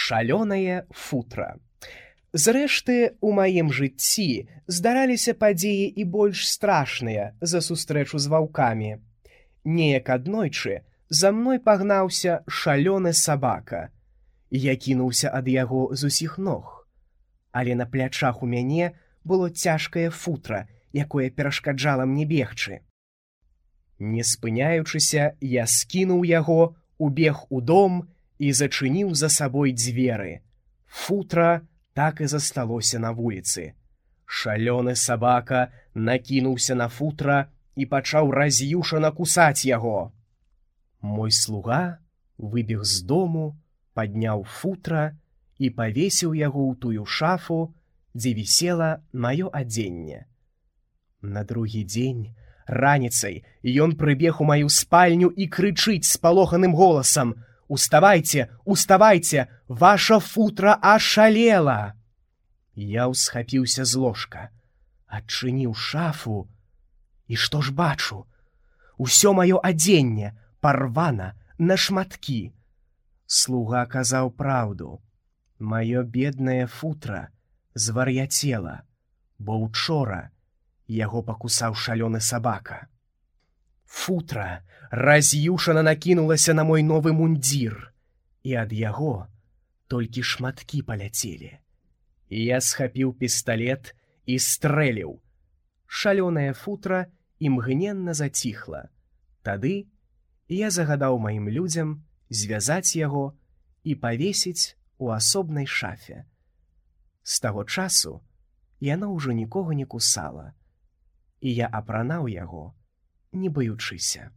Шалёнае футра. Зрэшты, у маім жыцці здараліся падзеі і больш страшныя за сустрэчу з ваўкамі. Неяк аднойчы за мной пагнаўся шалёны сабака. Я кінуўся ад яго з усіх ног. Але на плячах у мяне было цяжкае футра, якое перашкаджала мне бегчы. Не спыняючыся, я скінуў яго, убег у дом і зачыніў за сабой дзверы. Футра так і засталося на вуліцы. Шалёны сабака накінуўся на футра і пачаў раз'юшана кусаць яго. Мой слуга выбег з дому, падняў футра і павесіў яго ў тую шафу, дзе вісела маё адзенне. На другі дзень раніцай ён прыбег у маю спальню і крычыць спалоханым голасам: «Уставайце, уставайце, ваша футра ашалела!» Я ўсхапіўся з ложка, адчыніў шафу, і што ж бачу? Усё маё адзенне парвана на шматкі. Слуга казаў праўду. Маё беднае футра звар'яцела, бо учора яго пакусаў шалёны сабака. Футра раз'юшана накінулася на мой новы мундзір, і ад яго толькі шматкі паляцелі. Я схапіў пісталет і стрэліў. Шалёнае футра імгненна заціхла. Тады я загадаў маім людзям звязаць яго і павесіць у асобнай шафе. З таго часу яно ўжо нікога не кусала, і я апранаў яго, не баючыся.